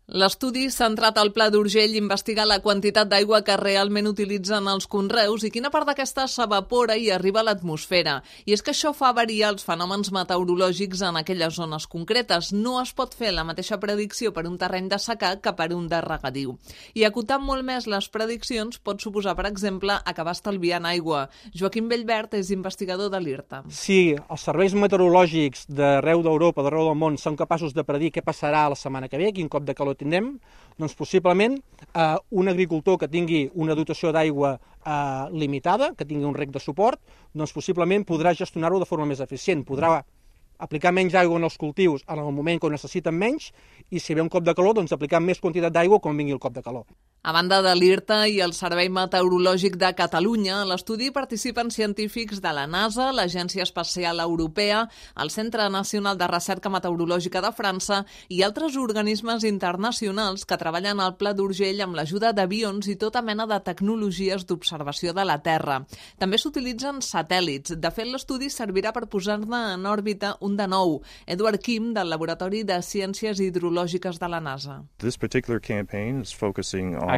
L'estudi centrat al Pla d'Urgell investiga la quantitat d'aigua que realment utilitzen els conreus i quina part d'aquesta s'evapora i arriba a l'atmosfera. I és que això fa variar els fenòmens meteorològics en aquelles zones concretes. No es pot fer la mateixa predicció per un terreny de secà que per un de regadiu. I acotar molt més les prediccions pot suposar, per exemple, acabar estalviant aigua. Joaquim Bellvert és investigador de l'IRTA. Si els serveis meteorològics d'arreu d'Europa, d'arreu del món, són capaços de predir què passarà la setmana que ve, quin cop de calor tindrem, doncs possiblement un agricultor que tingui una dotació d'aigua limitada, que tingui un rec de suport, doncs possiblement podrà gestionar-ho de forma més eficient, podrà aplicar menys aigua en els cultius en el moment que ho necessiten menys i si ve un cop de calor, doncs aplicar més quantitat d'aigua quan vingui el cop de calor. A banda de l'IRTA i el Servei Meteorològic de Catalunya, a l'estudi participen científics de la NASA, l'Agència Espacial Europea, el Centre Nacional de Recerca Meteorològica de França i altres organismes internacionals que treballen al Pla d'Urgell amb l'ajuda d'avions i tota mena de tecnologies d'observació de la Terra. També s'utilitzen satèl·lits. De fet, l'estudi servirà per posar-ne en òrbita un de nou, Edward Kim, del Laboratori de Ciències Hidrològiques de la NASA.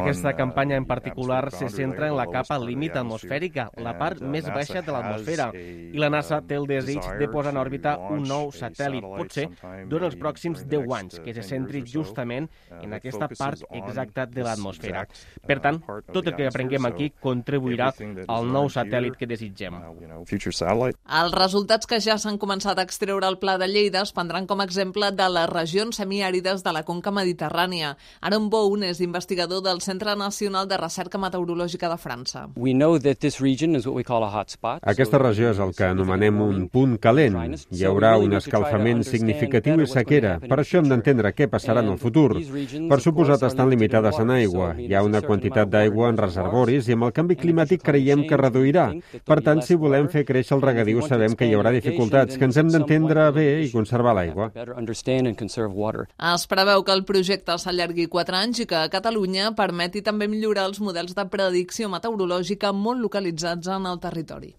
Aquesta campanya en particular se centra en la capa límit atmosfèrica, la part més baixa de l'atmosfera, i la NASA té el desig de posar en òrbita un nou satèl·lit, potser durant els pròxims 10 anys, que se centri justament en aquesta part exacta de l'atmosfera. Per tant, tot el que aprenguem aquí contribuirà al nou satèl·lit que desitgem. Els resultats que ja s'han començat a extreure al Pla de Lleida es prendran com a exemple de les regions semiàrides de la conca mediterrània. Aaron Bowen és investigador del Centre Nacional de Recerca Meteorològica de França. Aquesta regió és el que anomenem un punt calent. Hi haurà un escalfament significatiu i sequera. Per això hem d'entendre què passarà en el futur. Per suposat, estan limitades en aigua. Hi ha una quantitat d'aigua en reservoris i amb el canvi climàtic creiem que reduirà. Per tant, si volem fer créixer el regadiu, sabem que hi haurà dificultats, que ens hem d'entendre bé i conservar l'aigua. Es preveu que el projecte s'allargui 4 anys i que a Catalunya permeti també millorar els models de predicció meteorològica molt localitzats en el territori.